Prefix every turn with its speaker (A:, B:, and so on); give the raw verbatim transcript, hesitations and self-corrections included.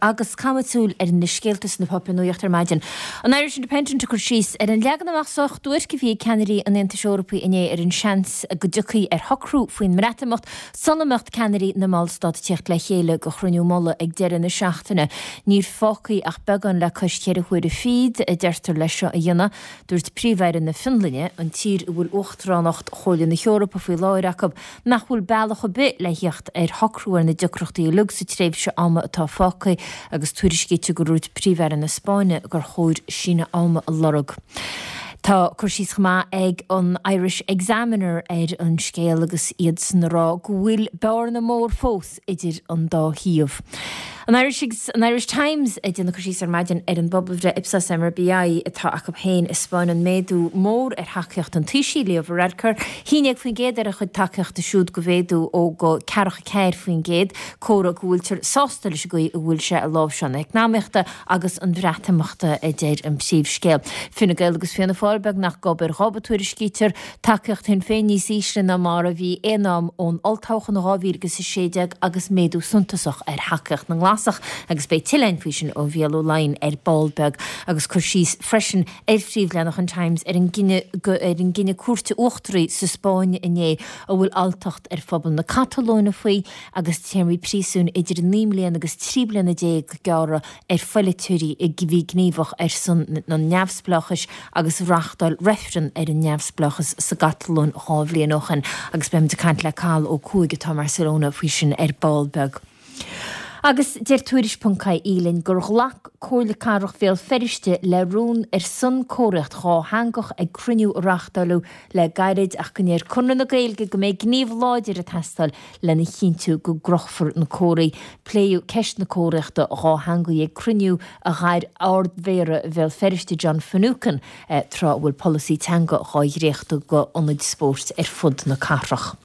A: Agus caithfimid súil ar na scéalta sna páipéir nuachta ar maidin. An Irish Independent ag cur síos ar an leagan amach sách duairc a bhí ag ceannairí an Aontais Eorpaigh inné ar an seans go dtiocfaí ar shocrú faoin mBreatimeacht sula mbeadh ceannairí na mballstát ag teacht le chéile do chruinniú mullaigh ag deireadh na seachtaine. Níl fágtha ach beagán le cois ceithre huaire fichead a deirtear leis seo a dhéanamh. Dúirt Príomh-Aire na Fionlainne, an tír a bhfuil uachtaránacht Chomhairle na hEorpa faoi láthair acu, nach bhfuil bealach ar bith le theacht ar shocrú ar na deacrachtaí uilig sa tréimhse ama atá fágtha agus tuairiscítear gur dhúirt Príomh-Aire na Spáinne gur chóir síneadh ama a lorg. Tá cur síos chomh maith ag an Irish Examiner ar an scéal agus iad san ag rá go bhfuil bearna mór fós idir an dá thaobh. An Irish, an Irish Times ag déanamh cur síos ar maidin ar an bpobalbhreith Ipsos M R B I atá acu féin ag spáint méadú mór ar thacaíocht an Taoisigh Leo Varadkar, haon déag faoin gcéad ar a chuid tacaíochta siúd go mhéadú ó go ceathracha ceathair faoin gcéad, comhartha go bhfuiltear sásta leis an gcaoi a bhfuil sé ag láimhseáil na heacnamaíochta agus an Bhreatimeachta, a deir an príomhscéal. Fine Gael agus Fianna Fáil beagnach gob ar ghob, a tuairiscítear, tacaíocht Shinn Féin níos ísle ná mar a bhí aon am ón olltoghchán dhá mhíle agus a sé déag agus méadú suntasach ar thacaíocht na nGlasach, agus beidh tuilleadh faoi sin ó Mhícheál Ó Laighin ar ball beag, agus cur síos freisin ar phríomhleathanach an Times ar an gcinneadh ar an gcinneadh cúirte uachtaraí sa Spáinn inné a bhfuil alltacht ar phobal na Catalóine faoi agus téarmaí príosúin idir naoi mbliana agus trí bliana déag gearrtha ar pholaiteoirí a bhí gníomhach ar son an neamhspleáchais agus reáchtáil reifreann ar an neamhspleáchas sa gCatalóin dhá bhliain ó shin, agus beimid ag caint le Cathal Ó Cuaig atá i mBarcelona faoi sin ar ball beag. Agus deir Tuairisc ponc I E linn gur ghlac Comhairle Cathrach Bhéal Feirste le rún ar son comharthaíocht dhátheangach ag cruinniú a reáchtáladh le gairid, ach go ndeir Conradh na Gaeilge go mbeidh gníomh láidir ag teastáil lena chinntiú go gcrochfar na comharthaí. Pléadh ceist na comharthaíochta dhátheangaí ag cruinniú a ghair Ard-Mhéara Bhéal Feirste John Finucane tráth a bhfuil polasaí teanga á dhréachtú do ionaid spóirt ar fud na cathrach.